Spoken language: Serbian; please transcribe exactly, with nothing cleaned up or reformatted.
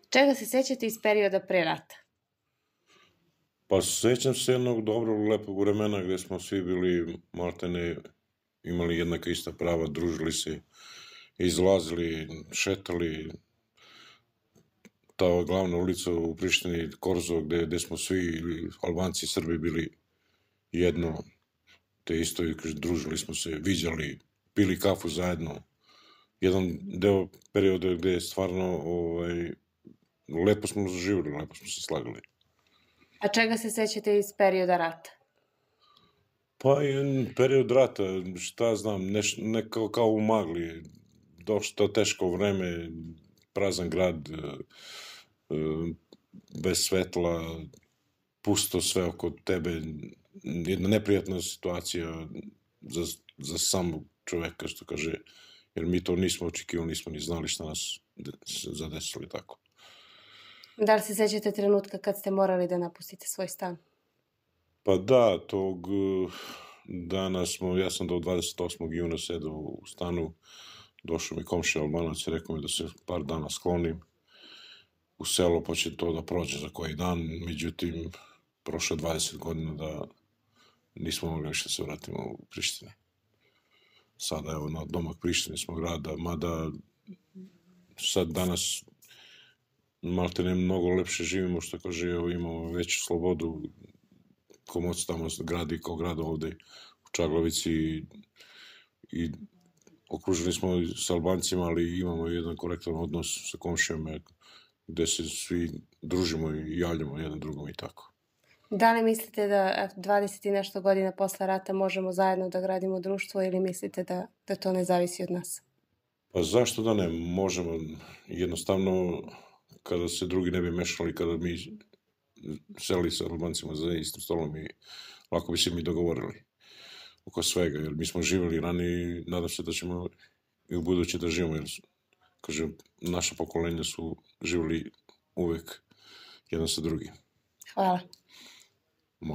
Čega se sećate iz perioda pre rata? Pa sećam se jednog dobrog, lepog vremena gde smo svi bili maltene, imali jednaka ista prava, družili se, izlazili, šetali. Ta glavna ulica u Prištini, Korzo, gde, gde smo svi, Albanci i Srbi, bili jedno, te isto, i družili smo se, viđali, pili kafu zajedno. Jedan deo perioda gde je stvarno, ovaj, lepo smo živjeli, lepo smo se slagali. A čega se sećate iz perioda rata? Pa je period rata, šta znam, neš, ne kao, kao u magli, došto teško vreme, prazan grad, bez svetla, pusto sve oko tebe, jedna neprijatna situacija za, za samog čoveka, što kaže, jer mi to nismo očekivali, nismo ni znali šta nas zadesili tako. Da li se sećate trenutka kad ste morali da napustite svoj stan? Pa da, tog dana smo, ja sam do dvadeset osmog juna sedao u stanu, došao mi komšija Albanac i rekao mi da se par dana sklonim u selo, pa će to da prođe za koji dan, međutim, prošlo dvadeset godina da nismo mogli više da se vratimo u Prištini. Sada, evo, na domak Prištine smo grada, mada sad danas malte ne mnogo lepše živimo, što kaže, evo, imamo veću slobodu, Komoc tamo gradi kao grad ovde u Čaglavici i, i okruženi smo sa Albancima, ali imamo jedan korektan odnos sa komšijama gde se svi družimo i javljamo jedan drugom i tako. Da li mislite da dvadeset i nešto godina posle rata možemo zajedno da gradimo društvo ili mislite da, da to ne zavisi od nas? Pa zašto da ne? Možemo. Jednostavno, kada se drugi ne bi mešali, kada mi seli sa Albancima za istim stolom i lako bi se mi dogovorili oko svega, jer mi smo živjeli ranije i nadam se da ćemo i u buduće da živimo, jer kažem, naša pokolenja su živjeli uvek jedan sa drugim. Hvala.